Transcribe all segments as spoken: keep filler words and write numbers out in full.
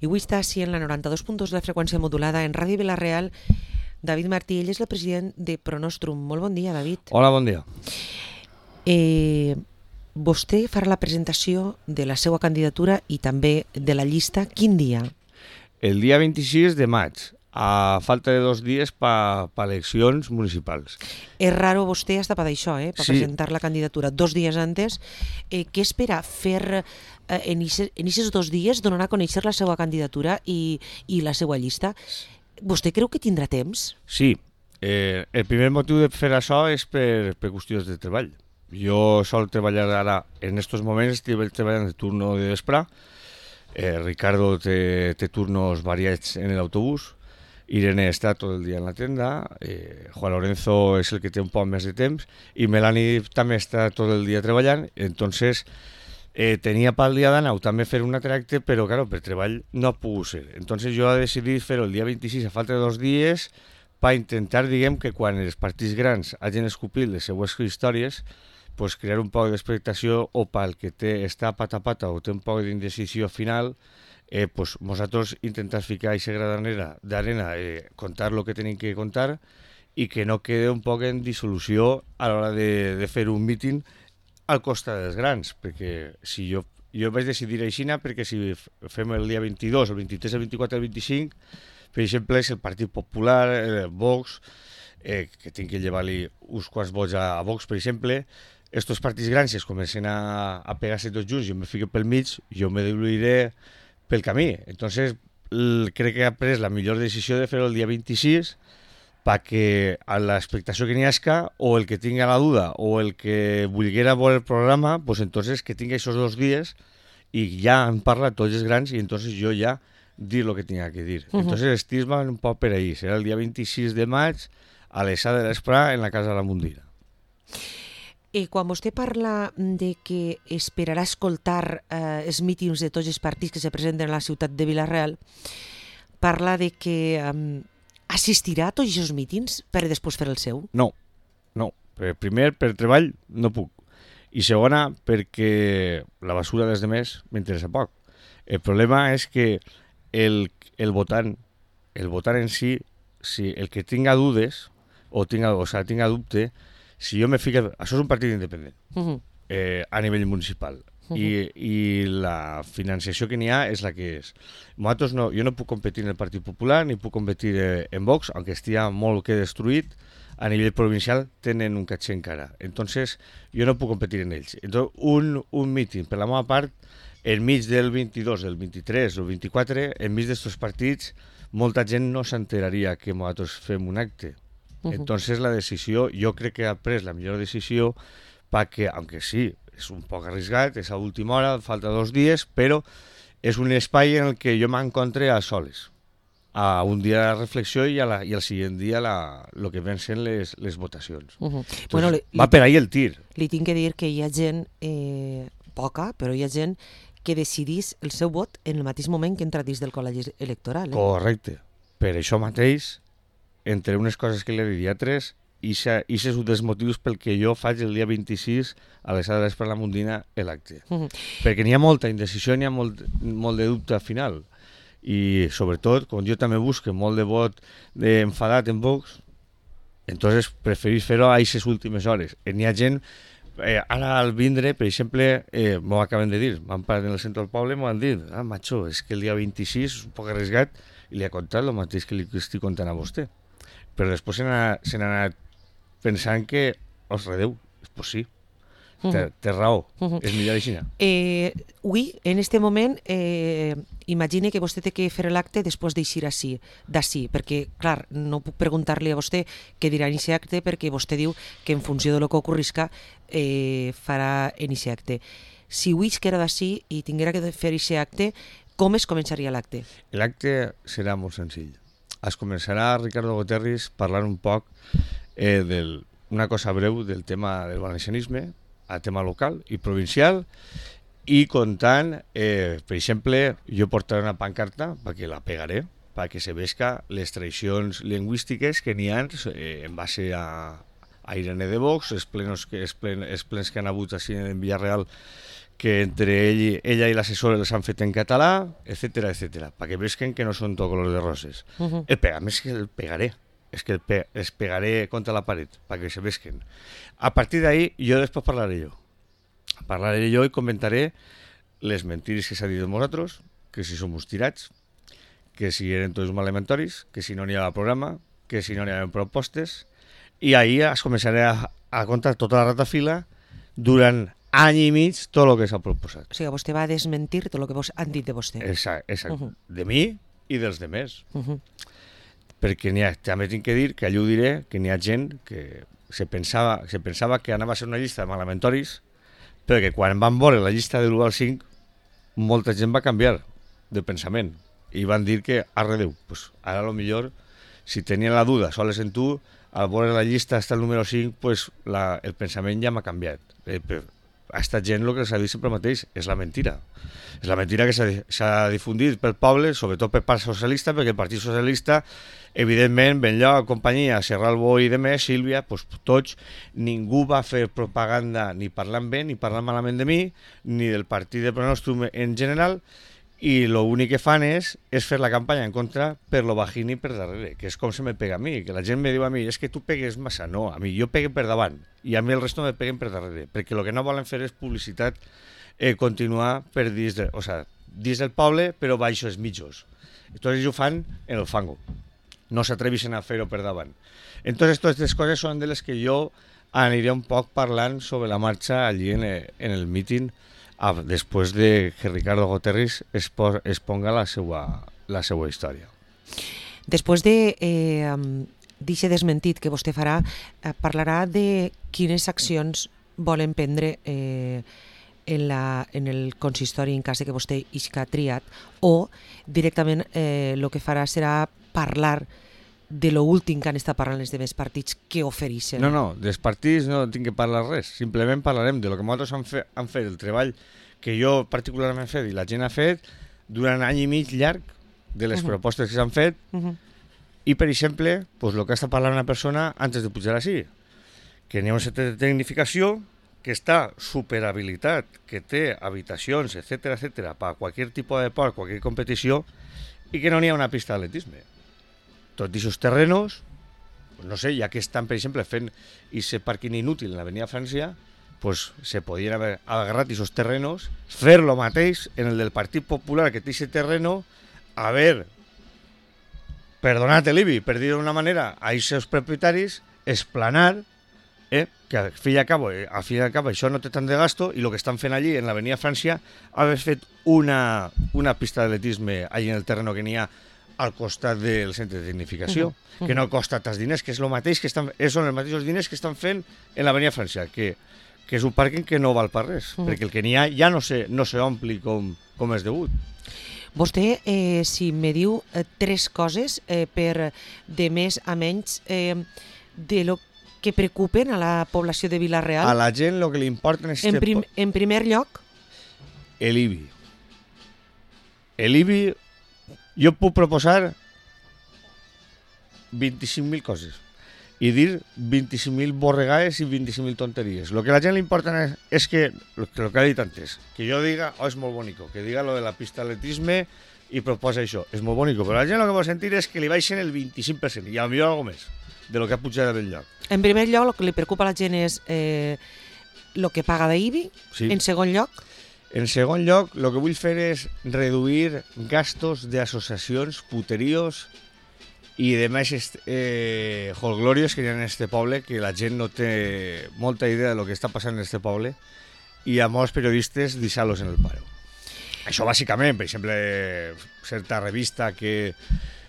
I avui està així en la noranta-dos punt dos de la freqüència modulada en Ràdio Vila-real. David Martí, ell és el president de Pronostrum. Molt bon dia, David. Hola, bon dia. Eh, vostè farà la presentació de la seva candidatura i també de la llista. Quin dia? El dia vint-i-sis de maig, a falta de dos dies per pa eleccions municipals. És raro vostè hasta per això, eh? Per Sí. presentar la candidatura dos dies antes. Eh, què espera fer eh, en aquests dos dies, donar a conèixer la seva candidatura i, i la seva llista? Vostè creu que tindrà temps? Sí, eh, el primer motiu de fer això és per, per qüestions de treball. Jo sol treballar ara, en aquests moments estic treballant de turno de vespre. Eh, Ricardo té, té turnos variats en l'autobús. Irene està tot el dia en la tenda, eh, Juan Lorenzo és el que té un poc més de temps i Melanie també està tot el dia treballant, entonces eh, tenia pel dia d'anar també fer un altre acte, però claro, per treball no ha pogut ser. Entonces jo he decidit fer-ho el dia vint-i-sis a falta de dos dies per intentar, diguem, que quan els partits grans hagin escopit les seues històries, pues, crear un poc d'expectació o pel que té, està pata a pata o té un poc d'indecisió final, Eh, pues nosaltres intentar ficar aquesta gra d'arena, eh, contar el que tenim que contar i que no quede un poc en dissolució a l'hora de, de fer un míting al costat dels grans, perquè si jo, jo vaig decidir aixina perquè si fem el dia vint-i-dos, el vint-i-tres, el vint-i-quatre, el vint-i-cinc, per exemple, és el Partit Popular, el Vox, eh, que tinc que llevar-li uns quants vots a, a Vox, per exemple, estos partits grans es comencen a, a pegar-se tots junts, jo me fico pel mig, jo me diluiré pel camí. Entonces, crec que ha pres la millor decisió de fer-ho el dia vint-i-sis perquè a l'expectació que n'hi hagi, o el que tinga la duda, o el que volguera veure el programa, pues entonces que tingui aquests dos dies i ja han parlat tots els grans i entonces jo ja dir el que tinga que dir. Uh -huh. Entonces estic un poc per ahí. Serà el dia vint-i-sis de maig a les set de l'Esprà en la Casa de la Mundira. I quan vostè parla de que esperarà escoltar eh, els mítings de tots els partits que se presenten a la ciutat de Vila-real, parla de que eh, assistirà a tots aquests mítings per després fer el seu? No, no. Primer, per treball no puc. I segona, perquè la basura dels demés m'interessa poc. El problema és que el, el votant, el votant en si, si el que tinga dudes o tinga, o sigui, tinga dubte, si jo me fico... Això és un partit independent, uh-huh. eh, a nivell municipal, uh-huh. I, i la financiació que n'hi ha és la que és. Nosaltres no, jo no puc competir en el Partit Popular ni puc competir eh, en Vox, aunque estigui molt que destruït, a nivell provincial tenen un caché encara. Entonces, jo no puc competir en ells. Entonces, un, un míting, per la meva part, enmig del vint-i-dos, del vint-i-tres o el vint-i-quatre, enmig d'aquests partits, molta gent no s'enteraria que nosaltres fem un acte. Entonces la decisió, jo crec que ha pres la millor decisió perquè, aunque sí, és un poc arriscat, és a última hora, falta dos dies, però és un espai en el que jo m'encontre a soles, a un dia de reflexió i, a la, i al següent dia el que ven sent les, les votacions. Uh -huh. Entonces, bueno, li, va per ahí el tir. Li tinc que dir que hi ha gent, eh, poca, però hi ha gent que decidís el seu vot en el mateix moment que entra dins del col·legi electoral. Eh? Correcte. Per això mateix, entre unes coses que li he dit a tres, i això és un dels motius pel que jo faig el dia vint-i-sis a les set de l'Esprà a la Mundina l'acte. Uh -huh. Perquè n'hi ha molta indecisió, n'hi ha molt, molt de dubte al final. I sobretot, com jo també busco molt de vot enfadat en Vox, entonces preferís fer-ho a aquestes últimes hores. N'hi ha gent, eh, ara al vindre, per exemple, eh, m'ho acaben de dir, m'han parat en el centre del poble i m'ho han dit, ah, macho, és que el dia vint-i-sis és un poc arriscat i li ha contat el mateix que li estic contant a vostè. Però després se n'ha anat pensant que, os redeu, pues sí, uh -huh. té, té raó, uh -huh. és millor així. Eh, avui, en este moment, eh, imagine que vostè té que fer l'acte després d'eixir d'ací, d'ací, perquè, clar, no puc preguntar-li a vostè què dirà en aquest acte, perquè vostè diu que en funció del que ocorrisca eh, farà en aquest acte. Si avui es queda d'ací i tinguera que fer aquest acte, com es començaria l'acte? L'acte serà molt senzill. Es començarà Ricardo Goterris parlant un poc eh, d'una cosa breu del tema del valencianisme, a tema local i provincial, i contant, eh, per exemple, jo portaré una pancarta perquè la pegaré, perquè se vesca les tradicions lingüístiques que n'hi ha eh, en base a, a Irene de Vox, els, plenos que, els, plen, els plens que han hagut així en Villarreal que entre ell, i- ella i l'assessor les han fet en català, etcètera, etcètera, perquè vesquen que no són tot color de roses. Uh -huh. El pegam és que el pegaré, és que el pe els pegaré contra la paret, perquè se vesquen. A partir d'ahí, jo després parlaré jo. Parlaré jo i comentaré les mentires que s'ha dit de nosaltres, que si som uns tirats, que si eren tots malematoris, que si no n'hi havia programa, que si no n'hi havia propostes, i ahir es començaré a, a contar tota la ratafila durant any i mig tot el que s'ha proposat. O sigui, vostè va desmentir tot el que vos han dit de vostè. Exacte, exacte. Uh -huh. De mi i dels demés. Uh -huh. Perquè n'hi ha, també tinc que dir, que allò ho diré, que n'hi ha gent que se pensava, se pensava que anava a ser una llista de malematoris, però que quan van veure la llista de l'u al cinc, molta gent va canviar de pensament i van dir que arredeu. Pues ara, a lo millor, si tenien la duda soles en tu, al veure la llista hasta el número cinc, pues la, el pensament ja m'ha canviat. Eh, però a esta gent el que s'ha dit sempre mateix és la mentira. És la mentira que s'ha difundit pel poble, sobretot per part socialista, perquè el Partit Socialista, evidentment, Benlloc, companyia, Serralbo i demés, Sílvia, pues, tots, ningú va fer propaganda ni parlant bé ni parlant malament de mi, ni del partit de Pronòstum en general, i l'únic que fan és, és fer la campanya en contra per lo bajín i per darrere, que és com se me pega a mi, que la gent me diu a mi, és que tu pegues massa. No, a mi jo pegue per davant, i a mi el resto me peguen per darrere, perquè el que no volen fer és publicitat, eh, continuar per dins, de, o sea, dins del poble, però baix els mitjos. Entonces ells ho fan en el fango, no s'atreveixen a fer-ho per davant. Entonces totes aquestes coses són de les que jo aniré un poc parlant sobre la marxa allí en, en el míting, Ah, després de que Ricardo Goterris expo exponga la seva, la seva història. Després de eh, d'aquest desmentit que vostè farà, eh, parlarà de quines accions volen prendre eh, en, la, en el consistori en cas de que vostè isca triat, o directament el eh, que farà serà parlar de lo últim que han estat parlant els demés partits que ofereixen. No, no, dels partits no tinc que parlar res, simplement parlarem de lo que nosaltres han, fe, han fet, el treball que jo particularment he fet i la gent ha fet durant any i mig llarg de les uh -huh. propostes que s'han fet uh -huh. i, per exemple, pues, el que està parlant una persona antes de pujar així, que n'hi ha un centre de tecnificació que està superhabilitat, que té habitacions, etcètera, etcètera, per a qualsevol tipus de deport, qualsevol competició, i que no n'hi ha una pista d'atletisme. Tots aquests terrenos, no sé, ja que estan, per exemple, fent aquest pàrquing inútil en l'Avenida França, pues se podien haver agarrat aquests terrenos, fer lo mateix en el del Partit Popular, que té aquest terreno, haver perdonat l'I B I, per dir d'una manera, a aquests propietaris, esplanar, eh, que al fi i al cabo, eh, al fi i al cabo això no té tant de gasto, i el que estan fent allí en l'Avenida França, haver fet una, una pista d'atletisme allí en el terreno que n'hi ha al costat del centre de tecnificació, uh -huh. que no costa tants diners, que és el mateix que estan, són els mateixos diners que estan fent en l'Avenida França, que, que és un pàrquing que no val per res, uh -huh. perquè el que n'hi ha ja no se, no se ompli com, com és degut. Vostè, eh, si me diu eh, tres coses eh, per de més a menys eh, de lo que preocupen a la població de Vila-real. A la gent el que li importa és... En, prim, en primer lloc? L'I B I. L'I B I, jo puc proposar vint-i-cinc mil coses i dir vint-i-cinc mil borregades i vint-i-cinc mil tonteries. El que a la gent li importa és, és que, el que ha dit antes, que jo diga, oh, és molt bonico, que diga lo de la pista d'atletisme i proposa això, és molt bonico, però la gent el que vol sentir és que li baixen el vint-i-cinc per cent i a millor alguna més de lo que ha pujat a Benlloc. En primer lloc, el que li preocupa a la gent és eh, el que paga d'I B I. Sí. En segon lloc? En segon lloc, el que vull fer és reduir gastos d'associacions, puterios i demés eh, holglorios que hi ha en este poble, que la gent no té molta idea de lo que està passant en este poble, i a molts periodistes deixar-los en el paro. Això bàsicament, per exemple, certa revista que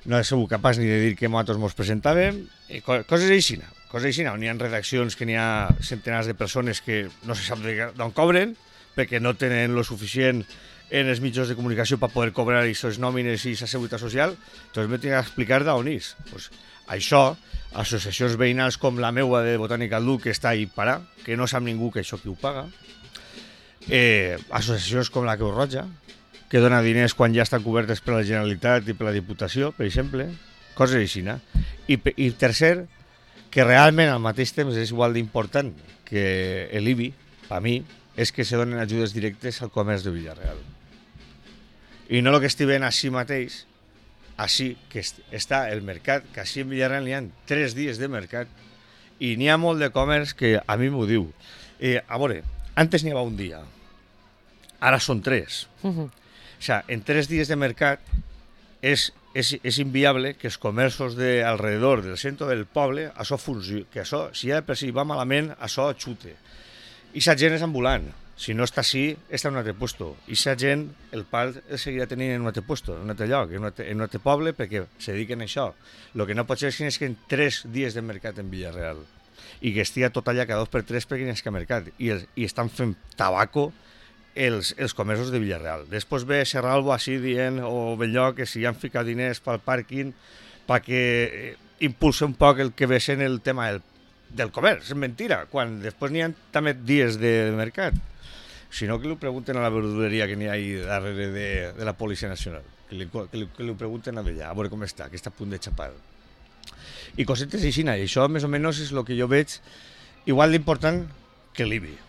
no he sigut capaç ni de dir que nosaltres ens presentàvem, eh, coses així, coses així, on hi ha redaccions que n'hi ha centenars de persones que no se sap d'on cobren, perquè no tenen lo suficient en els mitjans de comunicació per poder cobrar aquestes nòmines i aquesta seguretat social, doncs m'he d'explicar d'on és. Pues això, associacions veïnals com la meua de Botànica al Duc, que està ahí parar, que no sap ningú que això qui ho paga, eh, associacions com la Creu Roja, que dona diners quan ja estan cobertes per la Generalitat i per la Diputació, per exemple, coses així. I, i tercer, que realment al mateix temps és igual d'important que l'I B I, per mi, és que se donen ajudes directes al comerç de Villarreal. I no el que estic veient així mateix, així que està el mercat, que així en Villarreal n'hi ha tres dies de mercat i n'hi ha molt de comerç que a mi m'ho diu. Eh, a veure, antes n'hi havia un dia, ara són tres. Uh-huh. O sea, en tres dies de mercat és, és, és inviable que els comerços de alrededor del centre del poble, això funcioni, que això, si ja per si va malament, això xute. I la gent és ambulant. Si no està així, està en un altre puesto. I la gent, el part el seguirà tenint en un altre puesto, en un altre lloc, en un altre, en un altre poble, perquè se dediquen a això. El que no pot ser és que en tres dies de mercat en Villarreal i que estigui tot allà cada dos per tres perquè n'hi ha mercat. I, el, i estan fent tabaco els, els comerços de Villarreal. Després ve Serralbo així dient, o Belllloc, que si han ficat diners pel pàrquing perquè impulsa un poc el que ve sent el tema del, del comerç. És mentira, quan després n'hi ha també dies de mercat. Si no, que li pregunten a la verduleria que n'hi ha ahí darrere de, de la Policia Nacional. Que li, que, li, que li pregunten a ella, a veure com està, que està a punt de xapar. I cosetes així, i això més o menys és el que jo veig igual d'important que l'I B I.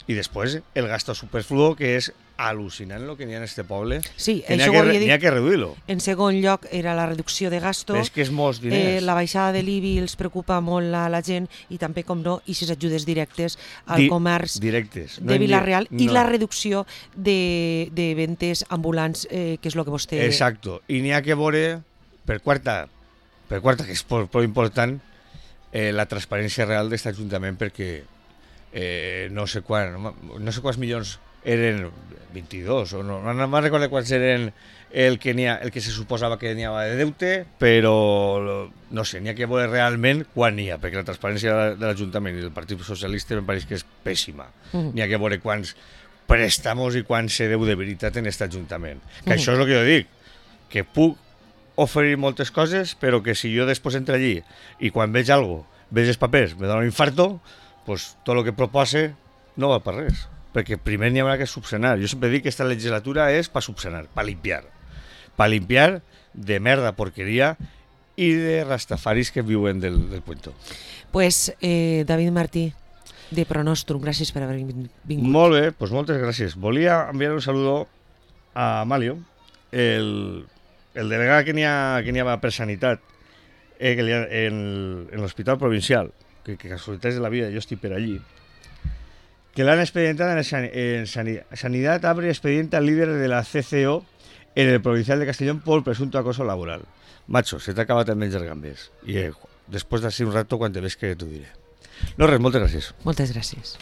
I després el gasto superfluo, que és al·lucinant el que n'hi ha en este poble. Sí, que això n'hi ha, que, que, que reduir-lo. En segon lloc era la reducció de gasto. És que és molts diners. Eh, la baixada de l'I B I els preocupa molt a la gent i també, com no, i les ajudes directes al Di comerç directes. No de Villarreal no. I la reducció de, de ventes ambulants, eh, que és el que vostè... Exacto. I n'hi ha que veure, per quarta, per quarta que és molt important, eh, la transparència real d'aquest Ajuntament, perquè eh, no sé quan, no sé quants milions eren vint-i-dos, o no, no me'n recordo quants eren el que, ha, el que se suposava que n'hi havia de deute, però no sé, n'hi ha que veure realment quan n'hi ha, perquè la transparència de l'Ajuntament i del Partit Socialista em pareix que és pèssima. Uh-huh. N'hi ha que veure quants préstamos i quants se deu de veritat en aquest Ajuntament. Que uh-huh. això és el que jo dic, que puc oferir moltes coses, però que si jo després entro allí i quan veig alguna cosa, veig els papers, me dona un infarto, pues tot el que propose no va per res, perquè primer n'hi haurà que subsanar. Jo sempre dic que aquesta legislatura és per subsanar, per limpiar, per limpiar de merda, porqueria i de rastafaris que viuen del, del cuento. Pues eh, David Martí, de Pronostrum, gràcies per haver vingut. Molt bé, pues moltes gràcies. Volia enviar un saludo a Amalio, el, el delegat que n'hi ha, que n'hi ha per Sanitat, eh, que ha, en, en l'Hospital Provincial, que, que casualitats de la vida, jo estic per allí, que l'han expedientat en, en Sanidad abre expediente al líder de la C C O en el Provincial de Castellón por presunto acoso laboral. Macho, se t'ha acabat el menjar gambes. I eh, després d'ací un rato, quan te ves que t'ho diré. No res, moltes gràcies. Moltes gràcies.